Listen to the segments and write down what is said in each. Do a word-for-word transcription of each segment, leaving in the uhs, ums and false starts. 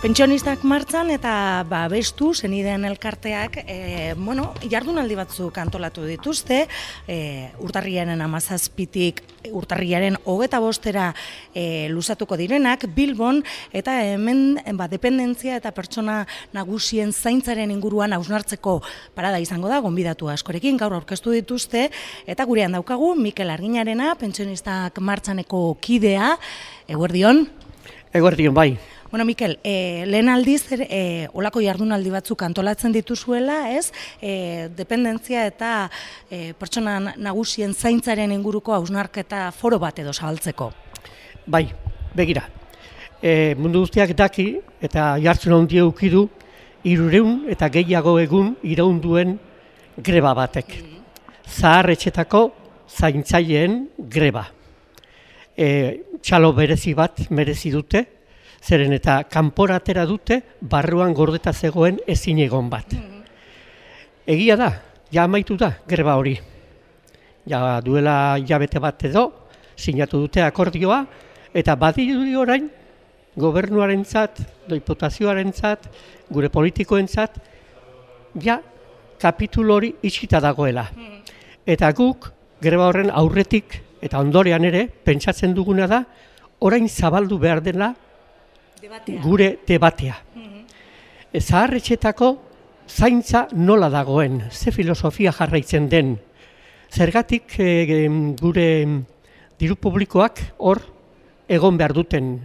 Pentsionistak martxan eta ba, bestu zenideen elkarteak e, bueno, jardunaldi batzuk antolatu dituzte, e, urtarriaren hamazazpitik urtarriaren hogeta bostera e, luzatuko direnak Bilbon, eta hemen ba, dependentzia eta pertsona nagusien zaintzaren inguruan hausnartzeko parada izango da, gonbidatu askorekin gaur aurkeztu dituzte, eta gurean daukagu Mikel Arginarena, Pentsionistak martxaneko kidea. Eguerdion? Eguerdion, bai. Bueno, Mikel, eh, lehen aldiz, eh, olako jardunaldi batzuk antolatzen dituzuela, ez? Eh, dependentzia eta eh, pertsona nagusien zaintzaren inguruko hausnarketa foro bat edo zabaltzeko. Bai, begira. E, mundu guztiak daki eta jartzen handia ukidu hirureun eta gehiago egun iraun duen greba batek. Zahar-etxetako zaintzaileen greba. E, txalo berezi bat merezi dute, zeren eta kanpora atera dute barruan gordeta zegoen ezin egon bat. Egia da, ja amaitu da greba hori. Ja duela hilabete bat edo sinatu dute akordioa, eta badirudi orain gobernuarentzat, diputazioarentzat, gure politikoentzat, ja kapitulu hori itxita dagoela. Eta guk greba horren aurretik eta ondorean ere pentsatzen duguna da orain zabaldu behar dela Debatea. Gure debatea. Mm-hmm. Zahar-etxetako zaintza nola dagoen, ze filosofia jarraitzen den. Zergatik e, gure diru publikoak hor egon behar duten,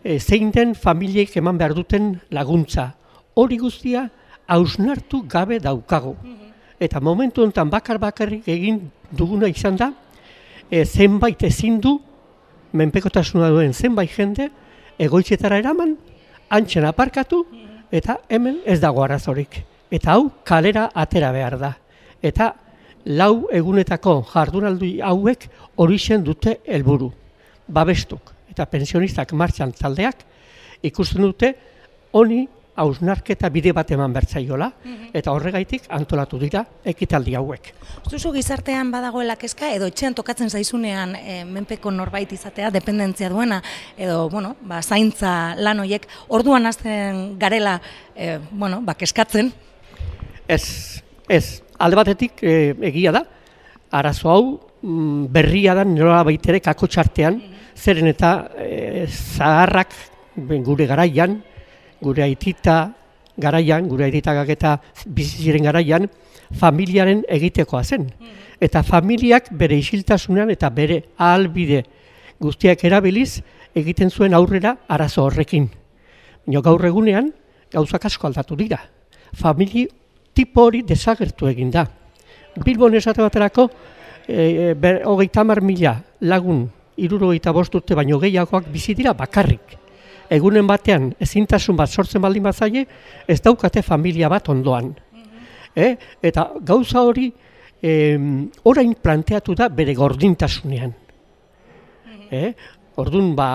e, zein den familiek eman behar duten laguntza. Hori guztia hausnartu gabe daukagu. Mm-hmm. Eta momentu honetan bakar bakarrik egin duguna izan da, e, zenbait ezin du, menpekotasuna duen zenbait jende, egoitzetara eraman, antxen aparkatu, eta hemen ez dago arazorik. Eta hau kalera atera behar da. Eta lau egunetako jardunaldi hauek horixen dute helburu. Babestuk eta Pentsionistak martxan taldeak ikusten dute honi hausnarketa bide bat eman bertzaiola, eta horregaitik antolatu dira ekitaldi hauek. Zuzu gizartean badagoela kezka, edo etxean tokatzen zaizunean e, menpeko norbait izatea, dependentzia duena, edo bueno, ba, zaintza lan horiek, orduan hasten garela e, bueno, ba, keskatzen? Ez, ez. Alde batetik e, egia da, arazo hau mm, berria da nola baitere kakotxartean, zeren eta e, zaharrak gure garaian, gure aitita garaian, gure aitikak eta biziziren garaian, familiaren egitekoa zen. Eta familiak bere isiltasunean eta bere ahalbide guztiak erabiliz egiten zuen aurrera arazo horrekin. Baina gaur egunean gauzak asko aldatu dira. Famili tipo hori desagertu egin da. Bilbon esate baterako e, ber, hogeita hamar mila lagun hirurogeita bost urte baino gehiagoak bizi dira bakarrik. Egunen batean ezintasun bat sortzen baldin bazaie, ez daukate familia bat ondoan. Eh? Eta gauza hori eh, orain planteatu da bere gordintasunean. Eh? Orduan, ba,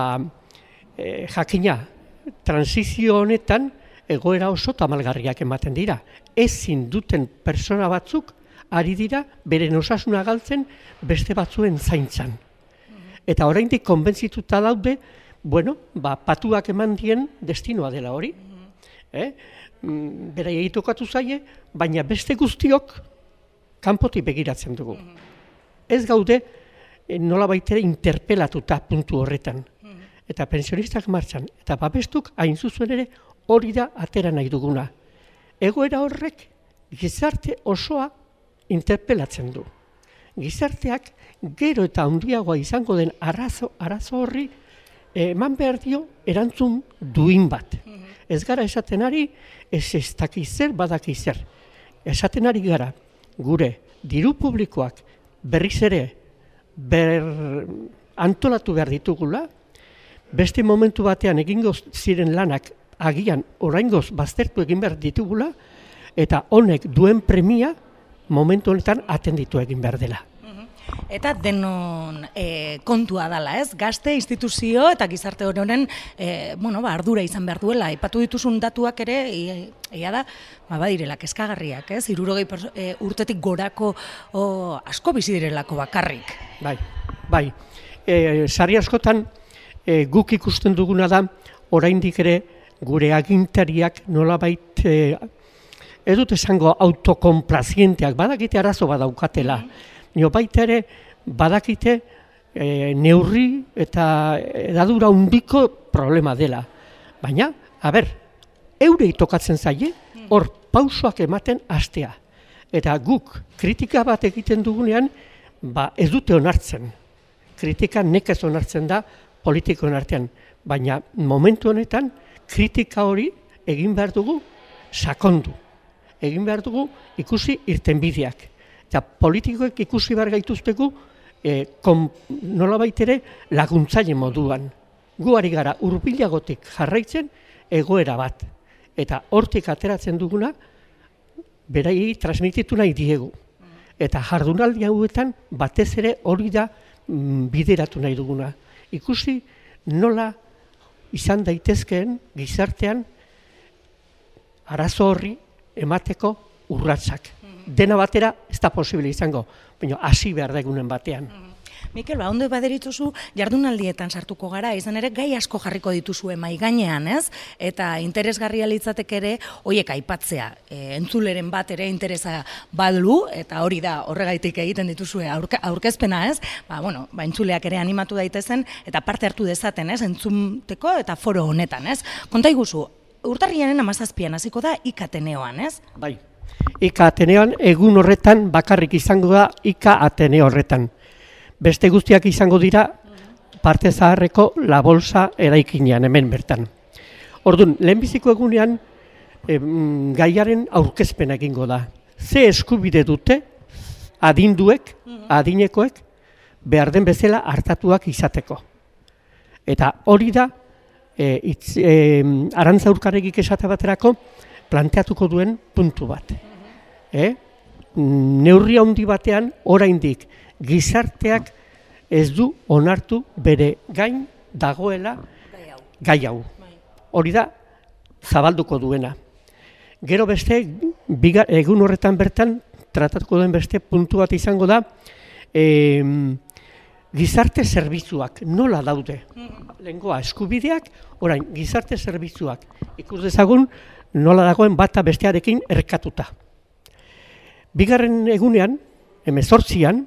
eh, jakina, transizio honetan egoera oso tamalgarriak ematen dira. Ezin duten persona batzuk ari dira beren osasuna galtzen beste batzuen zaintzan. Eta oraindik konbentzituta daude, bueno, ba, patuak eman dien destinoa dela hori. Eh? Bera egitokatu zaie, baina beste guztiok kanpotik begiratzen dugu. Ez gaude nola baitere interpelatuta puntu horretan. Eta Pentsionistak martxan, eta babestuk hain zuzen ere hori da atera nahi duguna. Egoera horrek gizarte osoa interpelatzen du. Gizarteak gero eta handiagoa izango den arazo, arazo horri eman behar dio erantzun duin bat. Ez gara esaten ari, ez ez dakizer badakizer. Esaten ari gara, gure diru publikoak berriz ere ber antolatu behar ditugula, beste momentu batean egingo ziren lanak agian oraingoz baztertu egin behar ditugula, eta honek duen premia momentu honetan atenditu egin behar dela. Eta denon e, kontua dala, ez? Gazte, instituzio eta gizarte honen e, bueno, ba, ardura izan behar duela. Aipatu dituzun datuak ere, egia da, ba, badirela kezkagarriak, ez? Hirurogei e, urtetik gorako o, asko bizi direlako bakarrik. Bai, bai. E, sari askotan e, guk ikusten duguna da, oraindik ere gure agintariak nolabait, e, ez dut esango autokonplazienteak, badakite arazo badaukatela, nio baita ere badakite e, neurri eta edadura hundiko problema dela. Baina, a ber, eurei tokatzen zaie, hor pausoak ematen hastea. Eta guk kritika bat egiten dugunean, ba ez dute onartzen. Kritika nekez onartzen da politikoen artean. Baina momentu honetan, kritika hori egin behar dugu sakondu. Egin behar dugu ikusi irtenbideak. Eta politikoek ikusi behar gaituztegu e, nolabait ere laguntzaile moduan. Gu ari gara hurbilagotik jarraitzen egoera bat. Eta hortik ateratzen duguna, beraiei transmititu nahi diegu. Eta jardunaldi hauetan batez ere hori da mm, bideratu nahi duguna. Ikusi nola izan daitezkeen gizartean arazo horri emateko urratsak. Dena batera ez da posible izango, baina hasi behar da egunen batean. Mikel, ba, ondo baderituzu jardunaldietan sartuko gara, izan ere gai asko jarriko dituzue mahai gainean, ez? Eta interesgarria litzatek ere hoiek aipatzea. E, entzuleren bat ere interesa badu, eta hori da horregaitik egiten dituzue aurke, aurkezpena, ez? Ba, bueno, ba, entzuleak ere animatu daitezen eta parte hartu dezaten, ez? Entzuteko eta foro honetan, ez? Konta iguzu, urtarriaren hamazazpian hasiko da I K Ateneoan, ez? Bai, I K Ateneoan egun horretan bakarrik izango da I K Ateneo horretan. Beste guztiak izango dira parte zaharreko La Bolsa eraikinean, hemen bertan. Orduan, lehenbiziko egunean em, gaiaren aurkezpena egingo da. Ze eskubide dute adinduek, adinekoek, behar den bezala hartatuak izateko. Eta hori da, e, itz, e, Arantza Urkaregik esate baterako, planteatuko duen puntu bat. E? Neurri handi batean, oraindik, gizarteak ez du onartu bere gain dagoela gai hau. Hori da zabalduko duena. Gero beste, biga, egun horretan bertan, tratatuko duen beste puntu bat izango da, e, gizarte zerbitzuak nola daude. Lehengoa eskubideak, orain gizarte zerbitzuak ikus dezagun nola dagoen bata bestearekin erkatuta. Bigarren egunean, hemezortzian,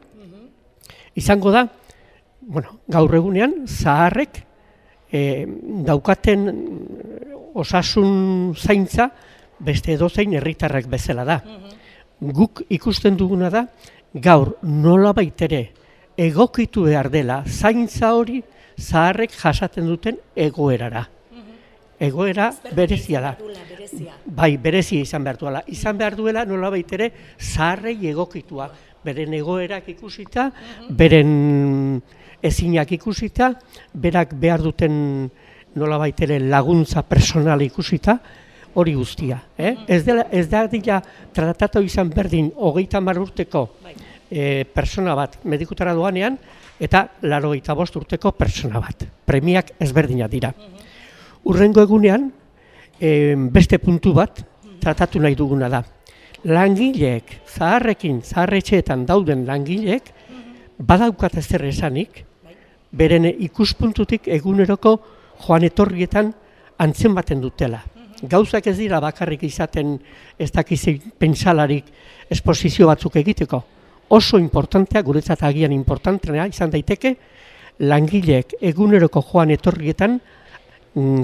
izango da, bueno, gaur egunean, zaharrek e, daukaten osasun zaintza beste edozein herritarrek bezala da. Guk ikusten duguna da, gaur nola baitere egokitu behar dela zaintza hori zaharrek jasaten duten egoerara. Egoera berezia da. Bai, berezia izan behar duela. Izan behar duela nola baitere zaharrei egokitua. Beren egoerak ikusita, beren ezinak ikusita, berak behar duten nolabait ere laguntza personal ikusita, hori guztia. Eh? Ez, dela, ez da dira tratatu izan berdin hogeita hamar urteko e, persona bat medikutara doanean, eta laurogeita bost urteko persona bat. Premiak ezberdinak dira. Hurrengo egunean, e, beste puntu bat tratatu nahi duguna da. Langileek, zaharrekin, zaharretxeetan dauden langileek, badaukat ez zer esanik, beren ikuspuntutik eguneroko joan etorrietan antzen baten dutela. Gauzak ez dira bakarrik izaten ez dakizi pentsalarik esposizio batzuk egiteko. Oso importantea, guretzat agian importantea izan daiteke, langileek eguneroko joan etorrietan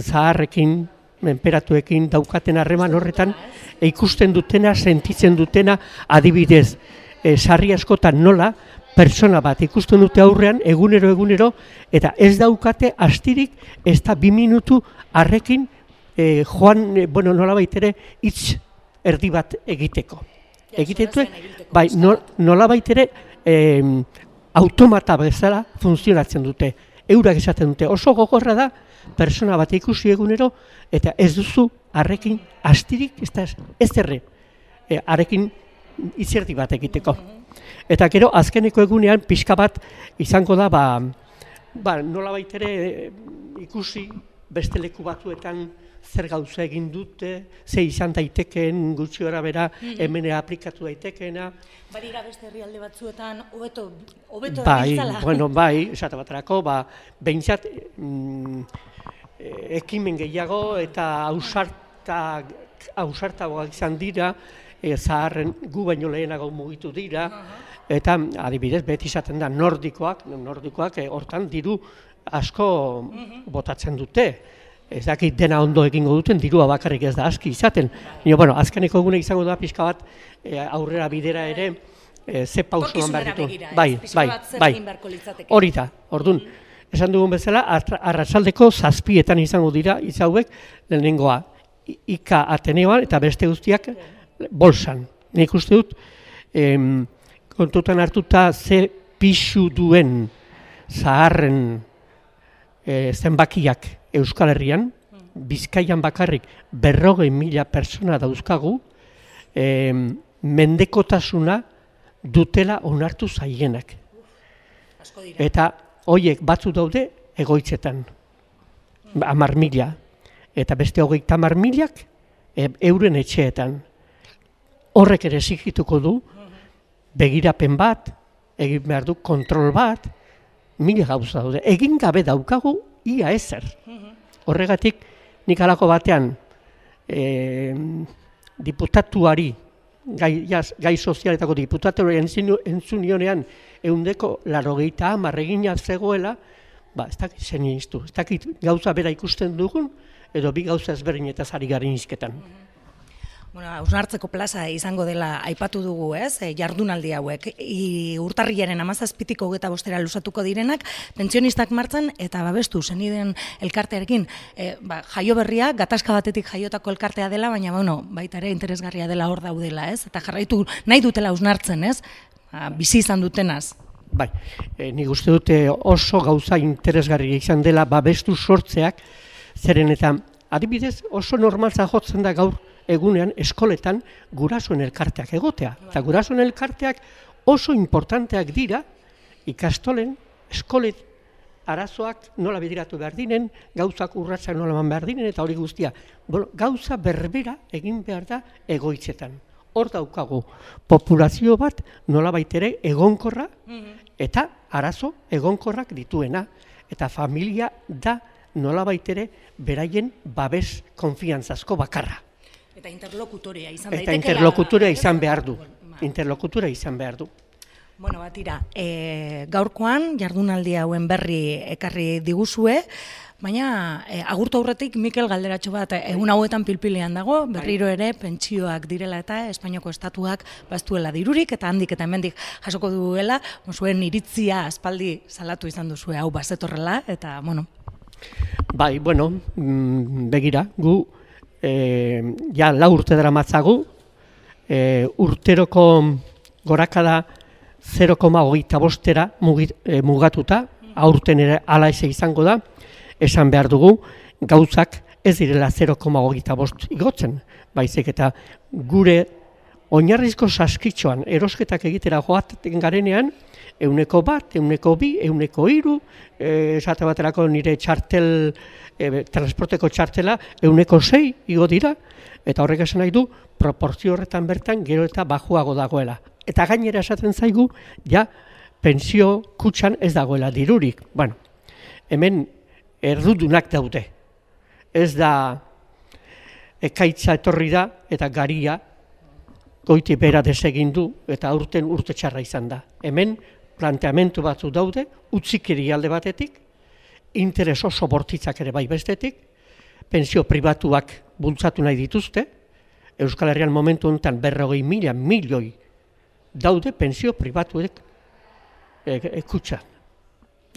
zaharrekin, menperatuekin daukaten harreman horretan, ikusten dutena, sentitzen dutena, adibidez, e, sarri askotan nola, persona bat ikusten dute aurrean, egunero, egunero, eta ez daukate astirik, ez da bi minutu harrekin, e, joan, e, bueno, nola baitere, hitz erdi bat egiteko. Egitetu, bai, nola baitere, e, automata bezala funtzionatzen dute. Eurak esaten dute, oso gogorra da, persona bat ikusi egunero, eta ez duzu harrekin astirik, ez da ez erre, e, harrekin itzerdi bat egiteko. Eta gero, azkeneko egunean, pixka bat izango da, ba, ba, nola baitere e, ikusi beste leku batzuetan zer gauza egin dute, ze izan daitekeen gutxi gara bera, hemen aplikatu daitekeena. Badira beste herrialde batzuetan, hobeto, hobeto bai, dabiltzala. Bueno, bai, esate baterako, ba, behintzat, mm, ekimen gehiago eta ausarta, ausartagoak izan dira, e, zaharren gu baino lehenago mugitu dira, eta adibidez, beti izaten da nordikoak, nordikoak e, hortan diru asko botatzen dute. Ez dakit dena ondo egingo duten, dirua bakarrik ez da aski izaten. Nio, bueno, azkeneko egune izango da pixka bat e, aurrera bidera ere e, ze pausuan behar ditu. Bai, bai, bai, hori da, orduan. Esan dugun bezala, arratsaldeko zazpietan izango dira izauek lehenengoa Ika Ateneoan eta beste guztiak bolsan. Nik uste dut, em, kontutan hartuta ze pixu duen zaharren e, zenbakiak Euskal Herrian, Bizkaian bakarrik berrogei mila persona dauzkagu, em, mendekotasuna dutela onartu zaienak. Eta hoiek batzu daude egoitzetan, hamar mila, eta beste hogeita hamar milak euren etxeetan. Horrek ere zigituko du, begirapen bat, egin behar du kontrol bat, mila gauza daude. Egin gabe daukagu, ia ezer. Horregatik, nik halako batean, e, diputatuari, gai, jaz, gai sozialetako diputatuari entzunionean, eundeko larogeita hamar egina zegoela, ba, ez dakit zen iztu, ez dakit gauza bera ikusten dugun, edo bi gauza ezberdinetaz ari garen izketan. Bueno, hausnartzeko plaza izango dela aipatu dugu, ez, e, jardunaldi hauek. I, urtarrilaren hamazazpitik hogeita bostera luzatuko direnak, pentsionistak martzan eta babestu senideen elkartearekin. E, ba, jaio berria, gatazka batetik jaiotako elkartea dela, baina bueno, baita ere interesgarria dela hor daudela, ez? Eta jarraitu nahi dutela hausnartzen, ez? Ba, bizi izan dutenaz. Bai, e, nik uste dute oso gauza interesgarria izan dela babestu sortzeak, zeren eta adibidez oso normaltza jotzen da gaur egunean eskoletan gurasoen elkarteak egotea. Eta gurasoen elkarteak oso importanteak dira ikastolen, eskolet arazoak nola bidiratu behar dinen, gauzak urratsak nola eman behar dinen, eta hori guztia. Bueno, gauza berbera egin behar da egoitzetan. Hor daukagu populazio bat nola baitere egonkorra eta arazo egonkorrak dituena. Eta familia da nola baitere beraien babes konfiantzazko bakarra. Eta interlokutorea izan daiteke. Eta interlokutorea izan behar du. Interlokutorea izan behar du. Bueno, batira, e, gaurkoan jardunaldi hauen berri ekarri diguzue, baina e, agurtu aurretik Mikel galderatxo bat egun hauetan pilpilean dago, berriro ere pentsioak direla eta Espainiako estatuak baztuela dirurik eta handik eta hemendik jasoko duela, zuen iritzia aspaldi salatu izan duzue hau bazetorrela eta, bueno. Bai, bueno, begira, gu E, ja lau urte dara matzagu, e, urteroko gorakada zero koma hogeita bostera e, mugatuta, aurten ere ala eze izango da, esan behar dugu, gauzak ez direla zero koma hogeita bost igotzen, baizik eta gure oinarrizko saskitxoan erosketak egitera joaten garenean, euneko bat, euneko bi, euneko hiru, e, esate baterako nire txartel, e, transporteko txartela, euneko sei igo dira, eta horrek esan nahi du, proportzio horretan bertan gero eta bajuago dagoela. Eta gainera esaten zaigu, ja, pentsio kutxan ez dagoela dirurik. Bueno, hemen erdudunak daude. Ez da ekaitza etorri da eta garia goiti bera desegin du eta aurten urte txarra izan da. Hemen planteamentu batzu daude, utzikiri alde batetik, interes oso bortitzak ere bai bestetik, pentsio pribatuak bultzatu nahi dituzte, Euskal Herrian momentu honetan berrogei mila milioi daude pentsio pribatuek ekutsa.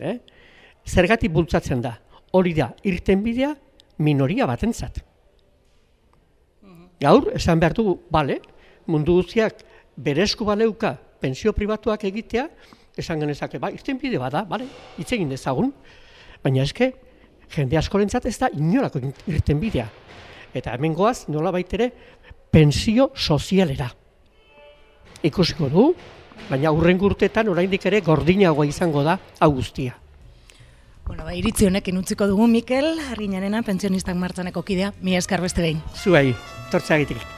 Eh? Zergatik bultzatzen da, hori da, irtenbidea minoria batentzat. Gaur, esan behar dugu, bale, mundu guztiak berezko baleuka pentsio pribatuak egitea, esan genezake, ba, irtenbide bada, bale, hitz egin dezagun, baina eske, jende askorentzat ez da inolako irtenbidea. Eta hemen goaz, nola baitere, pentsio sozialera. Ikusiko du, baina hurrengo urtetan oraindik ere gordinagoa izango da hau guztia. Bueno, ba, iritzi honekin utziko dugu Mikel, Arginarena, pentsionistak martzaneko kidea, mila esker beste behin. Zuei, tortzeagitik.